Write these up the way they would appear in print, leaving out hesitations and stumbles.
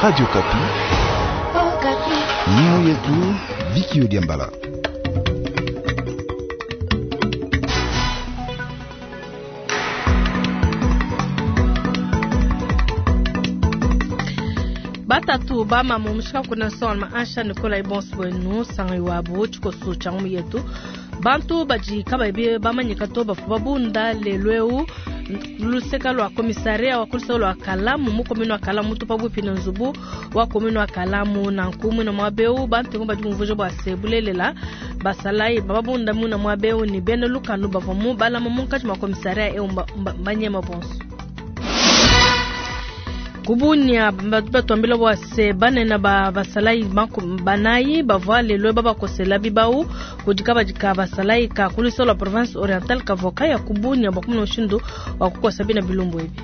Radio Kapi. Mioyo yetu Viki Diambala. Batatu bamama mushika kuna sona ansha Nicolas Ibons wenu sangi wabo tshikoso tsha ngumu yetu bantu badi kabayi bamanyika to bafu babunda lelweu luseka lwa komisaria wa kuluseka lwa kalamu mu komini wa kalamu tupa bupi na nzubu wa komini wa kalamu na nkumu na mwabeu bantu badi bumvuja bwa se bulelela basalayi bababunda mu na mwabeu ni bena lukanu bavua mu balama munkatshi mwa komisaria eu mbanyema bonso kubunya batu bwa se banene ba basalayi banayi bavua lelo babakosela bibau kudika badika basalayi ka kulisa la province orientale kavoka ya kubunya bakumuna mushindu wa kukosa bina bilumbu ebi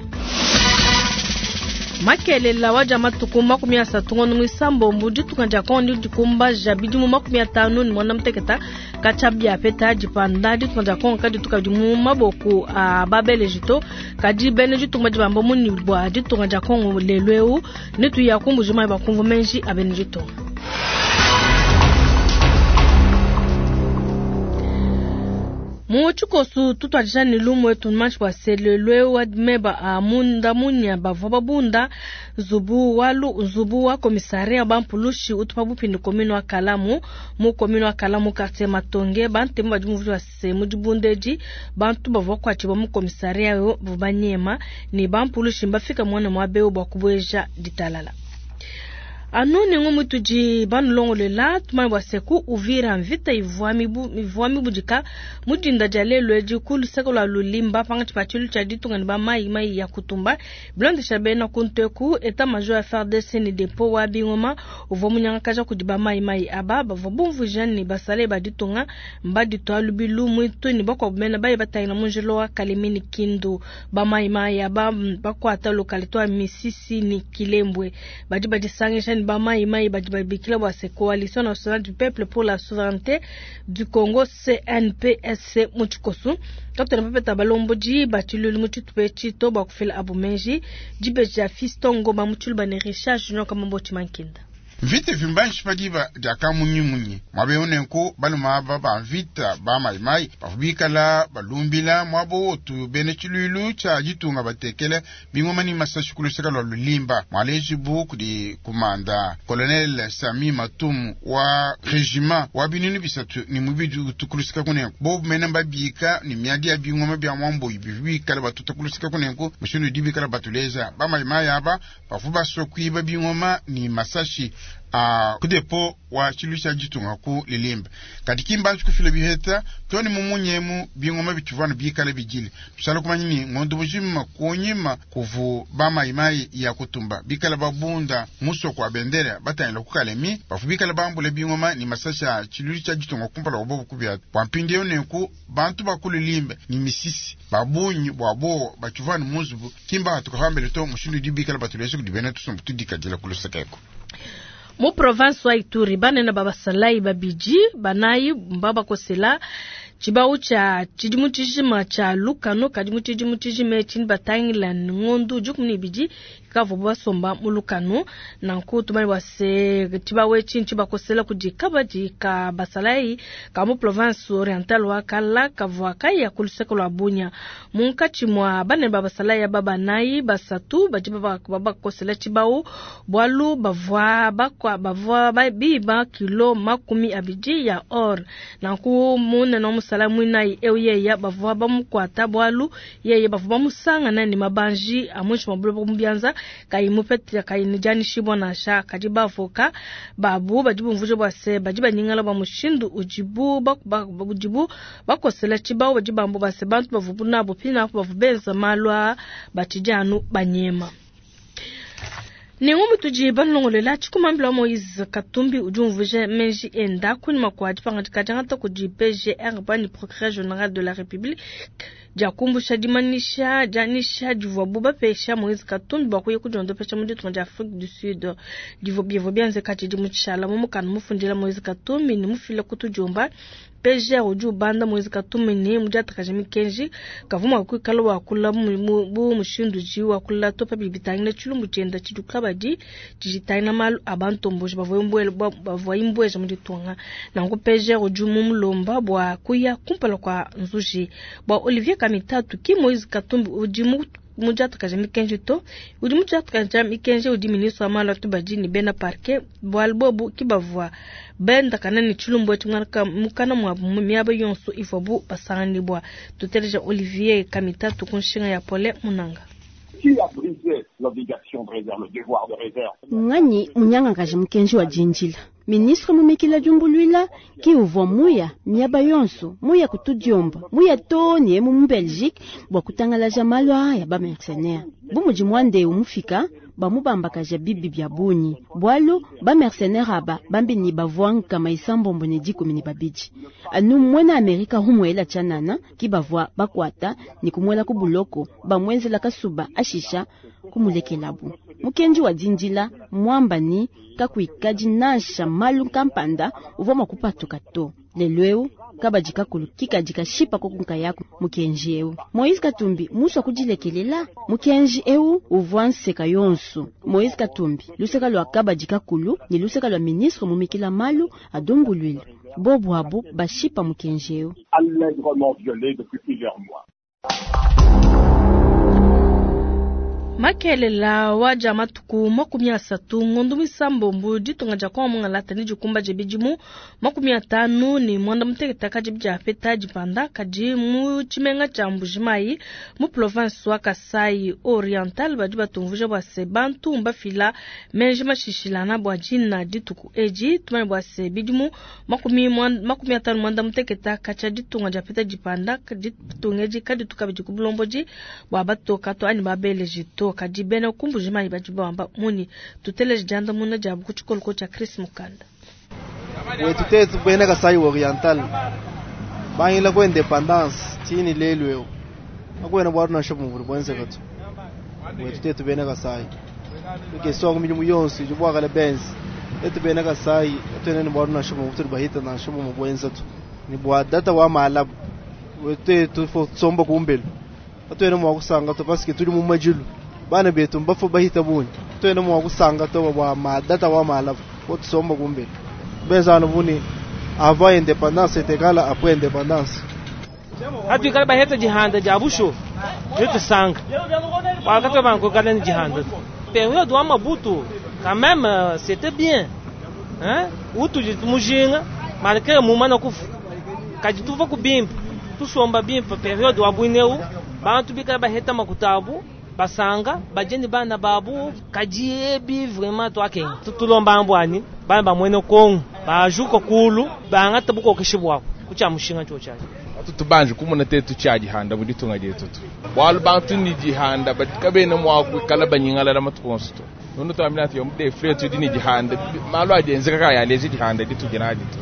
makelela waja matuku 30 ngono mwisambo ditunga dia kongo dikumbaja bidimu 58 muteketa katshia peta dipanda ditunga dia kongo kadituka di mu maboko a babelejito kadi bene ditunga dibamba muni bua ditunga dia kongo lelo eu netu ya kumbujima bakumvu menji abene ditunga. Mu tshikosu tutwadija ne lumu etu manshi bua selelwe wa meba a munda munya bavua babunda nzubu wa nzubu wa komisaria bampulushi utupa bupindi komini wa kalamu mu komini wa kalamu quartier matonge bantemu badi muvu wa se mu dibundeji bantu bavua kuatshibua mu komisaria yo banyema ne bampulushi mbafika muana mwa beo bua kubueja ditalala. Anu nengo mutudi banulongolela tumanye bua seku Uvira mvita ivua mibudika mudinda dia lelo edi ku luseke lua lulimba pangatshi pa tshilu tshia ditunga ne ba mai mai ya kutumba bilondesha bena kunteku état major ya FARDC ne depo wa bingoma uvua munyangakaja kudi ba mai mai aba bavua bumvuija ne basale ba ditunga mbaditua lubilu mwitu ne bakuabu bena baye batangila munjilo wa Kalemi ne Kindu ba mai mai aba bakuata localité wa Misisi ne Kilembwe badi badisangisha ne ba mai mai badi babikila bua se Coalition nationale du peuple pour la souveraineté du Congo CNPSC mu tshikosu katona papeta balombodi batshilulu mu tshitupa etshi to bua kufila abu menji dibeji dia Fiston Ngoma mu tshiluba ne Richard Junior Kamambo Tshimankinda. Mvita vimbanshi padiba diakamunyimunyi mwabeonenku baluma aba ba mvita ba maimai bavubikala balumbila mwabo otu bene tshilulu tshia ditunga batekele bingoma ni masashi kuluseka lwa lulimba mwalejibu kudi kumanda colonel Sami Matumu wa regiment wa binunu bisatu ni mubidi utukuluseka kunenku bobu mene mbabika ni miadi ya bingoma bya mwamboyi bivubikala batuta kuluseka kunenku mushindu dibikala batuleza ba maimai aba bavu basokwiba bingoma ni masashi kudepo wa tshilu tsha ditunga ku lilimba kadi kimbanji kufila biheta toni mumunyemu bingoma bitshivana bikala bijile tusala kumanya ni ngondo bujima kunyima kuvu bamaimai ya kutumba bikala babunda musoko wa bendera batangila kukalemi bafu bikala bambule bingoma ni masasha tshilu tsha ditunga kumpala obobu kubya bwampindieu nenku bantu bakululimba ni misisi babunyi bwabo batshivana muzubu kimba tukahambele to mushindu dibikala batuleshe kudibena tusumbu tudikadila kulusekeko. Mu province wa Ituri banene babasalai babiji banayi mbabakosela tshibau tsha tshidimu tshijima tsha lukano kadi mu tshidimu tshijima etshi batangila ngondu 12 ikavua basomba mu lukano nanku tumanye bua se tshibau etshi ntshibakosela kudi kabadi ka basalai ka mu province orientale wa Kala kavua kaya ku luseke lua Bunia munkatshi mua banene ba basalai aba banayi basatu badi babakosela tshibau bualu bavua bavua biba kilo 20 ya or nanku munene wa musala mwinayi eu yeya bavua bamukwata bualu yeye bavua bamusangana ne mabanji amunshi mabulu mu bianza kayi mupete kayi nijanishibwa nansha kadi bavoka babu badi bumvuje bua se badi banyingala bua mushindu udibu udibu bakosela tshibau badi bambu base bantu bavubu nabo pinapo bavu benza malu a batshidi anu banyema. Nengo mutudi banulongolela tshikumambila Moïse Katumbi udi umvuija menji enda kunyima kua dipangadika diangata kudi PGR bani procureur général de la République dia kumbusha dimanyisha dianyisha divuabu bapesha Moise Katumbi bua kuya kudiondopesha mu ditunga dia Afrique du Sud. Divua bivua bienzeka tshidimu tshishala mu mukanda mufundila Moise Katumbi ne mufila ku tudiomba. PGR udi ubanda Moise Katumbi ne mudiatakaja mikenji kavua mua kuikala wakula bu mushindu udi wakula to pa bidi bitangila tshilumbu tshienda tshidi kabadi tshidi malu a bantomboji bavua imbueja mu ditunga. Nanku PGR udi mumulomba bua kuya kumpala kua nzuji bua Olivier Kamitatu ki Moise Katumbi udi mudiatakaja mikenji to udi mudiatakaja mikenji udi ministre wa malu a tubadi ne bena parquet bualu bobu ki bavua bendakana ne tshilumbu etshi mukana muabu mu miaba yonso ivuabu basanganibua. Tuteleja Olivier Kamitatu ku nshinga ya Pole Munanga. Qui a brisé l'obligation de réserve, le devoir de réserve? Ngani munyangakaja mukenji wa dindila ministre mumikila diumbuluila ki uvua muya miaba yonso muya kutudiomba muya to ne mu mu Belgique bua kutangalaja malu aya ba mercenaire bu mudi mwande umufika bamubambakaja bibi bya bunyi bwalu ba mercenaire aba bambi ni bavua nkama isambombo ne 12 anu mwena Amerika humwela chanana ki bavua bakwata ni kumwela ku buloko bamwenzela kasuba ashisha kumulekelabu mukenji wa dindila mwamba ni kakuikadi nansha malu kampanda uvua mua kupatuka to lelo eu kabadi kakulu kikadi kashipa kokunka yako mukenji eu Moise Katumbi muswa kudilekelela mukenji eu uvua nseka yonso Moise Katumbi luseka lwa kabadi kakulu ni luseka lwa ministre mumikila malu adumbuluile bobu abu bashipa mukenji eu allègrement violé depuis plusieurs mois. Makelela waja matuku 30 ngondu misambombo ditunga dia Kongo mungalata ni dikumba dia bidimu 50 ni mwanda mutekete kadi bidiapeta dipanda kadi mu tshimenga tshia Mbujimayi mu province wa Kasai Oriental badi batumvuja bua se bantu mbafila menji mashishilana bua dina dituku edi tumanye bua se bidimu 50 mwanda mutekete katshia ditunga diapeta dipanda ditunga edi kadituka bidi ku bulombodi bua batoka to anyi babeleji to kadi bena ku Mbujimayi badi bamba muni tuteleje diandamuna diabu ku tshikoloko tshia Chris Mukanda. Wetu tetu bena Kasai Oriental bangila ku independance tini lelu eu akwena bwatu nansha bumvuli bwenzeka tu wetu tetu bena Kasai tukeswa ku milimu yonso idi bwakala benzi etu bena Kasai atuena bwatu nansha bumvu tuli bahita nansha bumu bwenza tu ni bwa data wa malabu wetu tetu fo tsomba kumbelu atuena mwa kusanga to paske tuli mu majilu bana betu mbafu bahita bunyi tuena mwa kusanga to bwa madata wa malabu fo tsomba kumbelu bezana buni avant indépendance est égal après indépendance. Hatuikala baheta jihanda ja busho yote sanga wakati banko kala ni jihanda période wa Mabutu quand même c'était bien hein utu mujinga malgré mumana kufu kajituva kubimpa tusomba bimpa période wa bwineu bantu bikala baheta makutabu basanga bajeni bana babu kajiebi vraiment twakenga tutulomba ambwani bana bamwene Kongo bajuka kulu bangata bukokeshe bwabo kucha mushinga chochaje tutubanje kumona tetu cha jihanda budi tunga jetu tu bwalu bantu ni jihanda batikabena mwa kala banyingala la matukonso to nono twamina tiyo mde fretu dini jihanda malu ajenzeka kaya lezi jihanda ditu jinaji tu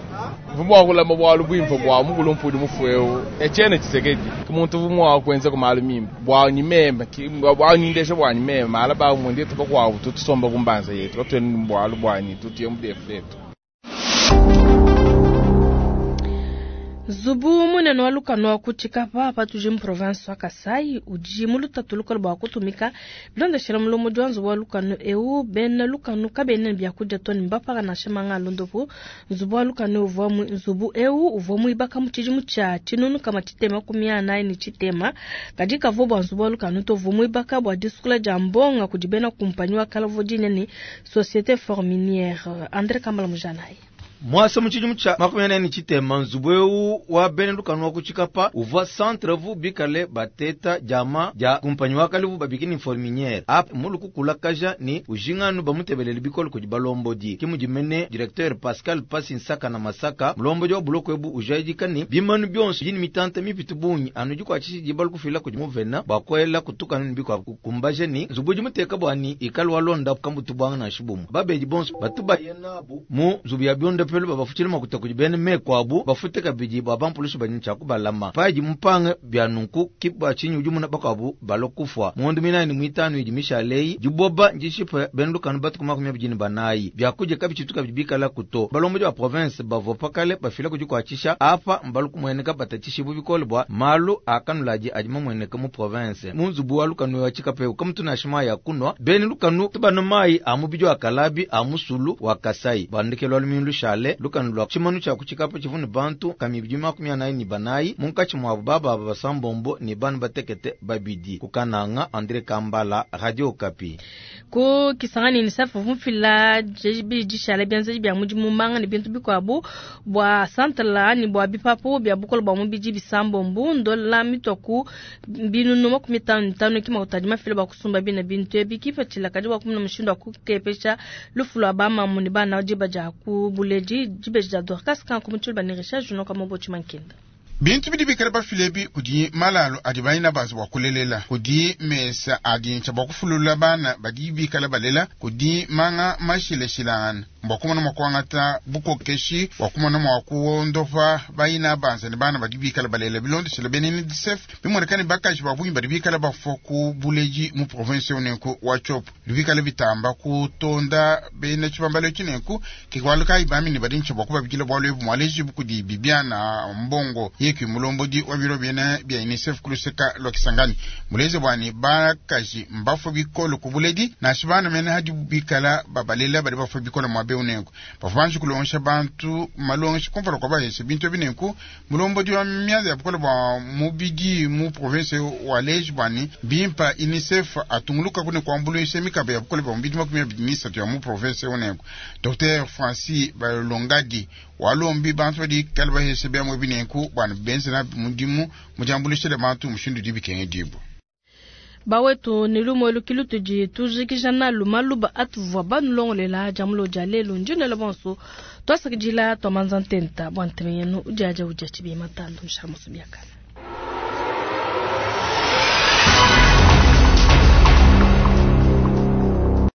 vumwa kula mabwalu bwimpa bwa mukulu mpudi mufueo echene Tshisekedi kumuntu vumwa kwenza kumalu mimba bwa nyimemba bwa nyindesha bwa nyimemba mala ba mundi tubakwa tutusomba kumbanza yetu batweni mbwalu bwanyi tutiye mde fretu. Zubu munene wa lukano wa kuchikapa patuje mu province wa Kasai udi mu lutatu lukolo bua kutumika bilondeshela mulomo wa nzubu wa lukano eu bena lukano kabena biakudia to ne mbapaka nansha manga alondopo nzubu wa lukano uvua nzubu eu uvua muibaka mu tshidimu tshia tshinunu kama tshitema kumi anayi ne tshitema kadi kavua bua nzubu wa lukano to uvua muibaka bua disukula dia mbonga kudi bena kumpanyi wa kalavu dinene Société Forminière. André Kambala Mujanayi. Mwasa muchidimu cha 44 chitema nzubu wa bene lukano wa kuchikapa uvua centre vu bikale bateta jama ja kumpanyi wa kalivu babikini forminière ap muluku kulakaja ni ujinganu bamutebelele bikolo kudi balombodi kimujimene directeur Pascal Pasi Nsaka na Masaka mulombodi wa buloko ebu ujaidika ni bimanu byonso yini mitante mipitu bunyi anu jikwachishi jibalu kufila kudi muvena bakwela kutukanu nibiko kumbaje ni nzubu jimuteka bwani ikalu walonda kambutu bwanga na shibumu babeji bonso batuba yenabu mu nzubu ya byonda londopelu babafutshile makuta kudi bena meku abu, bafute kabidi bua bampulushi badi ne tshia kubalama. Padi mupange bia nunku, ki bua tshinyi udi umona bakuabu balua kufua. Mu ngondo muinayi ne muitanu idi mishale eyi, diboba ndishipe bena lukanu batuku 24. Biakudia kabitshitu kabidi bikalaku to. Balombodi ba province bavua pa kale bafila ku dikuatshisha apa mbalu kumueneka batatshishibue bikole bua malu a kanuladi adi mamueneke mu province. Mu nzubu wa lukanu wa Tshikapa eu kamutu nansha mayi a kunua. Bena lukanu banua mayi a mubidi wa kalabi a musulu wa Kasai. Bua ndekelu wa lumingu lushale, lukanu lua tshimanu tshia ku Tshikapa tshivua ne bantu nkama ibidi 44, munkatshi muabu bababa basambombo ne bana batekete babidi. Ku Kananga, Andre Kambala, Radio Okapi. Ku Kisangani, UNICEF uvua mufila dibidi dishala bienzedi bia mudimu manga ne bintu bikuabu bua santala anyi bua bipapu bia bukole bua mubidi bisambombo ndola mitua ku 55,000 ki makuta adi mafila bua kusumba bina bintu ebi. Kipatshila kadi bua kumona mushindu wa kukepesha lufu lua bamamu ne bana diba dia ku buledi. Dibeji dia Dorcas Kanku mu Tshiluba ne Richard Junor Kamobo Tshimankenda. Bintu bidi bikale bafile ebi kudi malalu adi baina banza bua kulelela, kudi mesa adi ntsha bua kufulula bana badi bikale balela, kudi manga mashilashilangane mbua kumona mua kuangata bukokeshi bua kumona mua kuondopa baina banza ne bana badi bikale balela. Bilondeshile bena UNICEF, bimueneka ne bakaji ba bungi badi bikale bafua ku buledi mu province eu nenku wa Tshopo bidi bikale bitamba kutonda bena tshibambalu etshi nenku ke bualu kayi bamine badi ntsha bua kubabikila bualu ebu mualejibu kudi Bibiana Mbongo yeki mulombodi wa biro biena bia UNICEF ku luseka lua Kisangani muleze bua ne bakaji mbafue bikole ku buledi nansha bana mene hadi bikala babalela badi bafue bikole muaba eu nenku bavua banji kulongesha bantu malongesha kumpala kua bahesha bintu ebi nenku mulombodi wa mianda ya bukole bua mubidi mu province waleji bua ne bimpa UNICEF atungulukaku ne kuambuluisha mikaba ya bukole bua mubidi 23 ya mu province eu nenku Dr Francis Balongadi walombi bantu badi kale bahesha biamua ebi nenku bua ne benze nabi mudimu mu diambuluisha dia bantu mushindu udi bikengedibua. Bawetu ne lumue lukilu tudi tujikija nalu maluba atuvua banulongolela dia mulo dia lelu. Ndi nuela bonso twasakidila twamanza ntenta bua ntema yenu udiadia udia tshibi matandu nshamusu biakana.